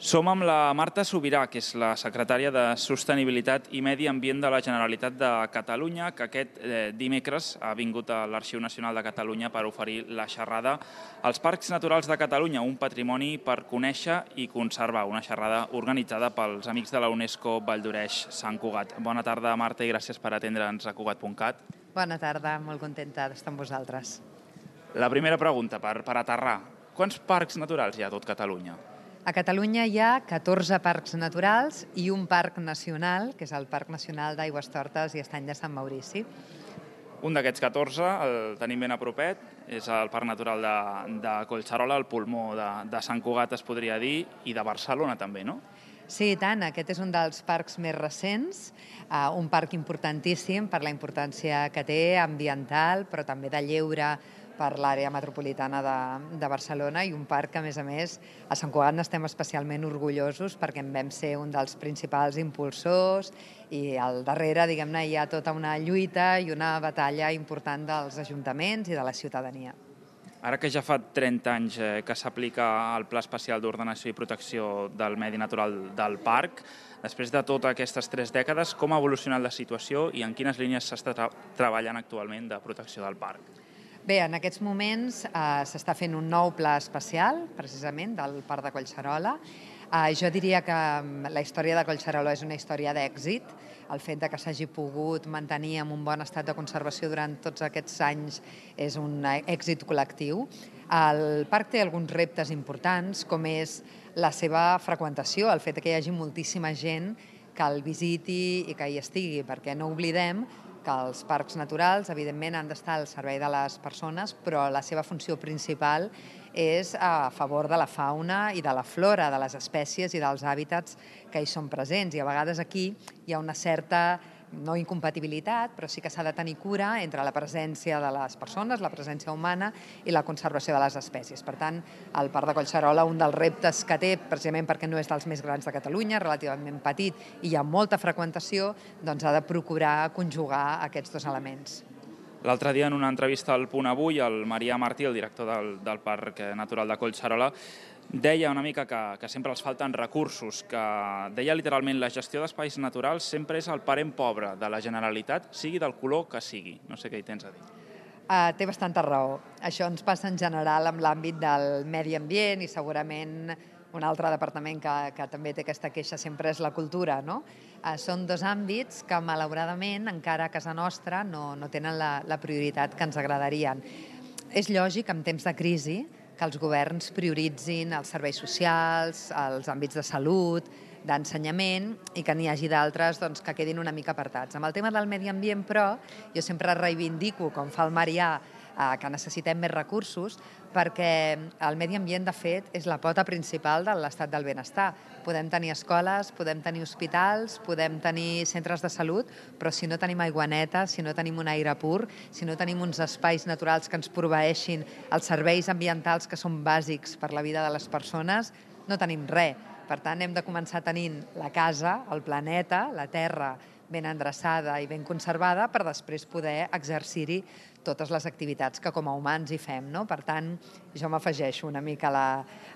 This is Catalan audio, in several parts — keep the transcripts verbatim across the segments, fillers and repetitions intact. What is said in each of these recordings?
Som amb la Marta Subirà, que és la secretària de Sostenibilitat i Medi Ambient de la Generalitat de Catalunya, que aquest eh, dimecres ha vingut a l'Arxiu Nacional de Catalunya per oferir la xerrada als Parcs Naturals de Catalunya, un patrimoni per conèixer i conservar, una xerrada organitzada pels amics de la UNESCO Vall d'Oreix Sant Cugat. Bona tarda, Marta, i gràcies per atendre'ns a Cugat punt cat. Bona tarda, molt contenta d'estar amb vosaltres. La primera pregunta, per, per aterrar. Quants parcs naturals hi ha a tot Catalunya? A Catalunya hi ha catorze parcs naturals i un parc nacional, que és el Parc Nacional d'Aigüestortes i Estany de Sant Maurici. Un d'aquests catorze, el tenim ben a propet, és el Parc Natural de, de Collserola, el pulmó de, de Sant Cugat, es podria dir, i de Barcelona també, no? Sí, i tant. Aquest és un dels parcs més recents, uh, un parc importantíssim per la importància que té ambiental, però també de lleure per l'àrea metropolitana de, de Barcelona, i un parc que, a més a més, a Sant Cugat n'estem especialment orgullosos perquè en vam ser un dels principals impulsors, i al darrere, diguem-ne, hi ha tota una lluita i una batalla important dels ajuntaments i de la ciutadania. Ara que ja fa trenta anys que s'aplica el Pla Especial d'Ordenació i Protecció del Medi Natural del Parc, després de totes aquestes tres dècades, com ha evolucionat la situació i en quines línies s'està tra treballant actualment de protecció del parc? Bé, en aquests moments eh, s'està fent un nou pla especial, precisament, del Parc de Collserola. Eh, jo diria que la història de Collserola és una història d'èxit. El fet de que s'hagi pogut mantenir en un bon estat de conservació durant tots aquests anys és un èxit col·lectiu. El parc té alguns reptes importants, com és la seva freqüentació, el fet que hi hagi moltíssima gent que el visiti i que hi estigui, perquè no oblidem que els parcs naturals, evidentment, han d'estar al servei de les persones, però la seva funció principal és a favor de la fauna i de la flora, de les espècies i dels hàbitats que hi són presents. I a vegades aquí hi ha una certa, no incompatibilitat, però sí que s'ha de tenir cura entre la presència de les persones, la presència humana i la conservació de les espècies. Per tant, el Parc de Collserola, un dels reptes que té, precisament perquè no és dels més grans de Catalunya, relativament petit i hi ha molta freqüentació, doncs ha de procurar conjugar aquests dos elements. L'altre dia, en una entrevista al Punt Avui, el Marià Martí, el director del, del Parc Natural de Collserola, deia una mica que, que sempre els falten recursos, que deia literalment la gestió d'espais naturals sempre és el parent pobre de la Generalitat, sigui del color que sigui. No sé què hi tens a dir. Uh, té bastanta raó. Això ens passa en general amb l'àmbit del medi ambient, i segurament un altre departament que, que també té aquesta queixa sempre és la cultura, no? Uh, són dos àmbits que, malauradament, encara a casa nostra no, no tenen la, la prioritat que ens agradarien. És lògic, en temps de crisi, que els governs prioritzin els serveis socials, els àmbits de salut, d'ensenyament, i que n'hi hagi d'altres doncs, que quedin una mica apartats. Amb el tema del medi ambient, però, jo sempre reivindico, com fa el Marià, eh, que necessitem més recursos, perquè el medi ambient, de fet, és la pota principal de l'estat del benestar. Podem tenir escoles, podem tenir hospitals, podem tenir centres de salut, però si no tenim aigua neta, si no tenim un aire pur, si no tenim uns espais naturals que ens proveeixin els serveis ambientals que són bàsics per la vida de les persones, no tenim res. Per tant, hem de començar tenint la casa, el planeta, la terra, ben endreçada i ben conservada, per després poder exercir-hi totes les activitats que com a humans hi fem, no? Per tant, jo m'afegeixo una mica a la,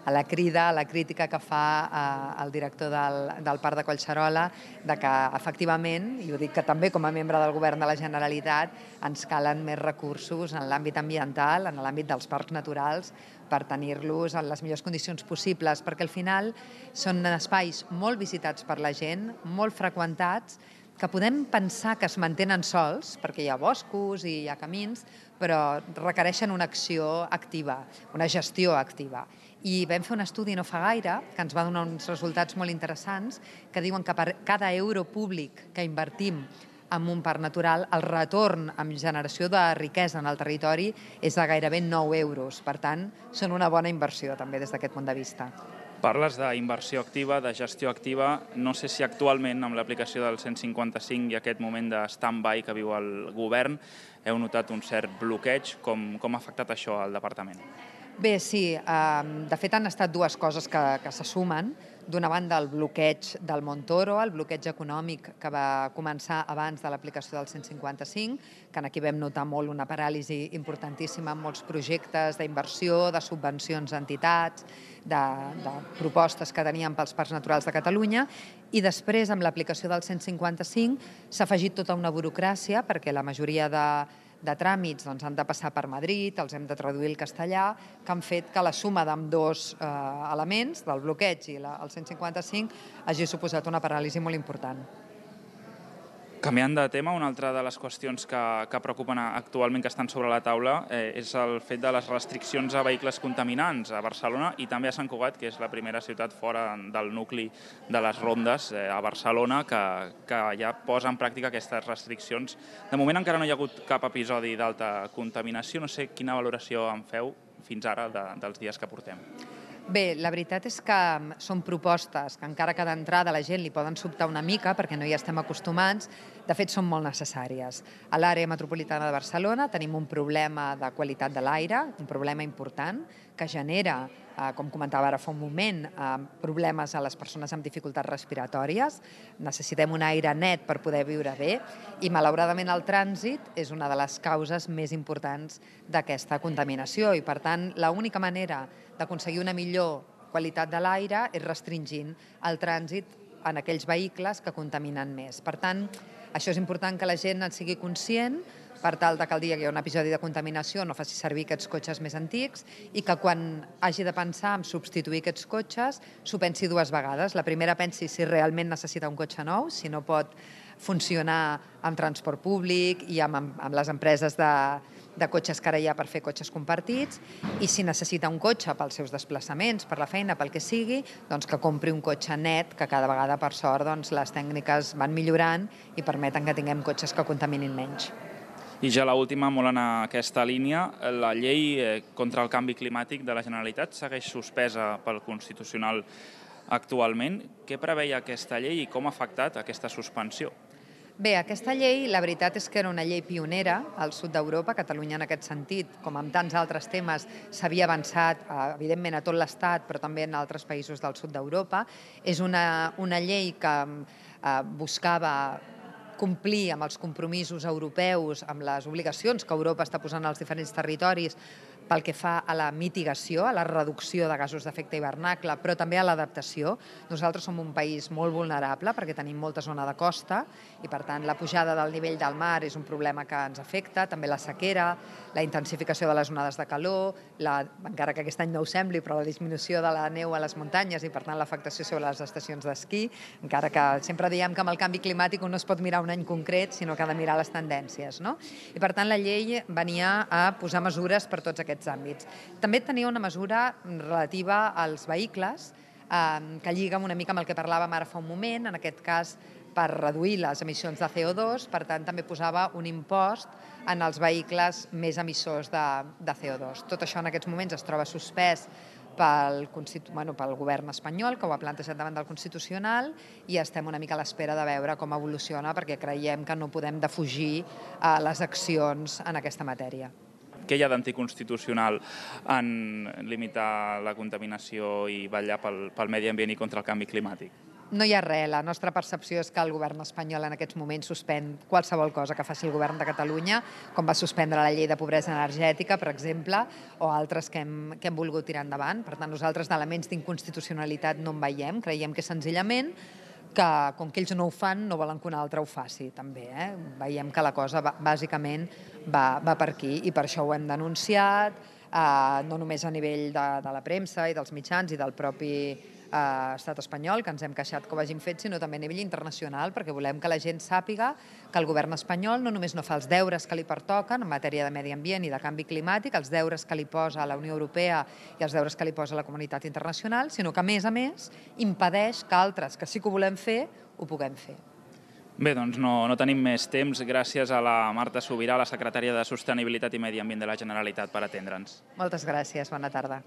a la crida, a la crítica que fa eh, el director del, del Parc de Collserola, de que, efectivament, i ho dic que també com a membre del Govern de la Generalitat, ens calen més recursos en l'àmbit ambiental, en l'àmbit dels parcs naturals, per tenir-los en les millors condicions possibles, perquè al final són espais molt visitats per la gent, molt freqüentats, que podem pensar que es mantenen sols, perquè hi ha boscos i hi ha camins, però requereixen una acció activa, una gestió activa. I vam fer un estudi no fa gaire, que ens va donar uns resultats molt interessants, que diuen que per cada euro públic que invertim en un parc natural, el retorn en generació de riquesa en el territori és de gairebé nou euros. Per tant, són una bona inversió, també, des d'aquest punt de vista. Parles d'inversió activa, de gestió activa. No sé si actualment, amb l'aplicació del cent cinquanta-cinc i aquest moment de stand-by que viu el govern, heu notat un cert bloqueig. Com, com ha afectat això al departament? Bé, sí. De fet, han estat dues coses que, que se sumen. D'una banda, el bloqueig del Montoro, el bloqueig econòmic que va començar abans de l'aplicació del cent cinquanta-cinc, que aquí vam notar molt una paràlisi importantíssima en molts projectes d'inversió, de subvencions a entitats, de, de propostes que teníem pels parcs naturals de Catalunya, i després, amb l'aplicació del cent cinquanta-cinc, s'ha afegit tota una burocràcia, perquè la majoria de de tràmits doncs, han de passar per Madrid, els hem de traduir al castellà, que han fet que la suma d'ambdós eh, elements, del bloqueig i la, el cent cinquanta-cinc, hagi suposat una paràlisi molt important. Canviant de tema, una altra de les qüestions que, que preocupen actualment, que estan sobre la taula, eh, és el fet de les restriccions a vehicles contaminants a Barcelona i també a Sant Cugat, que és la primera ciutat fora del nucli de les rondes eh, a Barcelona, que, que ja posa en pràctica aquestes restriccions. De moment encara no hi ha hagut cap episodi d'alta contaminació. No sé quina valoració en feu fins ara de, dels dies que portem. Bé, la veritat és que són propostes que encara que d'entrada la gent li poden sobtar una mica perquè no hi estem acostumats, de fet són molt necessàries. A l'àrea metropolitana de Barcelona tenim un problema de qualitat de l'aire, un problema important que genera, eh, com comentava ara fa un moment, eh, problemes a les persones amb dificultats respiratòries. Necessitem un aire net per poder viure bé i malauradament el trànsit és una de les causes més importants d'aquesta contaminació i per tant l'única manera d'aconseguir una millor qualitat de l'aire és restringint el trànsit en aquells vehicles que contaminen més. Per tant, això és important que la gent en sigui conscient per tal que el dia que hi ha un episodi de contaminació no faci servir aquests cotxes més antics i que quan hagi de pensar en substituir aquests cotxes s'ho pensi dues vegades. La primera pensi si realment necessita un cotxe nou, si no pot funcionar amb transport públic i amb, amb les empreses de, de cotxes que ara hi ha per fer cotxes compartits, i si necessita un cotxe pels seus desplaçaments, per la feina, pel que sigui, doncs que compri un cotxe net, que cada vegada, per sort, doncs, les tècniques van millorant i permeten que tinguem cotxes que contaminin menys. I ja l'última, molt en aquesta línia, la llei contra el canvi climàtic de la Generalitat segueix suspesa pel Constitucional actualment. Què preveia aquesta llei i com ha afectat aquesta suspensió? Bé, aquesta llei, la veritat és que era una llei pionera al sud d'Europa. Catalunya, en aquest sentit, com en tants altres temes, s'havia avançat, evidentment, a tot l'Estat, però també en altres països del sud d'Europa. És una, una llei que eh, buscava complir amb els compromisos europeus, amb les obligacions que Europa està posant als diferents territoris pel que fa a la mitigació, a la reducció de gasos d'efecte hivernacle, però també a l'adaptació. Nosaltres som un país molt vulnerable perquè tenim molta zona de costa i, per tant, la pujada del nivell del mar és un problema que ens afecta, també la sequera, la intensificació de les onades de calor, la, encara que aquest any no ho sembli, però la disminució de la neu a les muntanyes i, per tant, l'afectació sobre les estacions d'esquí, encara que sempre diem que amb el canvi climàtic un no es pot mirar un any concret, sinó que ha de mirar les tendències, no? I, per tant, la llei venia a posar mesures per tots aquests àmbits. També tenia una mesura relativa als vehicles eh, que lliga una mica amb el que parlàvem ara fa un moment, en aquest cas per reduir les emissions de C O dos, per tant també posava un impost en els vehicles més emissors de, de C O dos. Tot això en aquests moments es troba suspès pel, bueno, pel govern espanyol, que ho ha plantejat davant del Constitucional, i estem una mica a l'espera de veure com evoluciona, perquè creiem que no podem defugir eh, les accions en aquesta matèria. Què hi ha d'anticonstitucional en limitar la contaminació i vetllar pel, pel medi ambient i contra el canvi climàtic? No hi ha res. La nostra percepció és que el govern espanyol en aquests moments suspèn qualsevol cosa que faci el govern de Catalunya, com va suspendre la llei de pobresa energètica, per exemple, o altres que hem, que hem volgut tirar endavant. Per tant, nosaltres d'elements d'inconstitucionalitat no en veiem. Creiem que senzillament que, com que ells no ho fan, no volen que un altre ho faci, també. Eh? Veiem que la cosa, bàsicament, va, va per aquí, i per això ho hem denunciat, eh, no només a nivell de, de la premsa i dels mitjans i del propi eh, estat espanyol, que ens hem queixat que ho hagin fet, sinó també a nivell internacional, perquè volem que la gent sàpiga que el govern espanyol no només no fa els deures que li pertoquen en matèria de medi ambient i de canvi climàtic, els deures que li posa la Unió Europea i els deures que li posa la comunitat internacional, sinó que, a més a més, impedeix que altres que sí que ho volem fer, ho puguem fer. Bé, doncs no, no tenim més temps. Gràcies a la Marta Subirà, la secretària de Sostenibilitat i Medi Ambient de la Generalitat, per atendre'ns. Moltes gràcies. Bona tarda.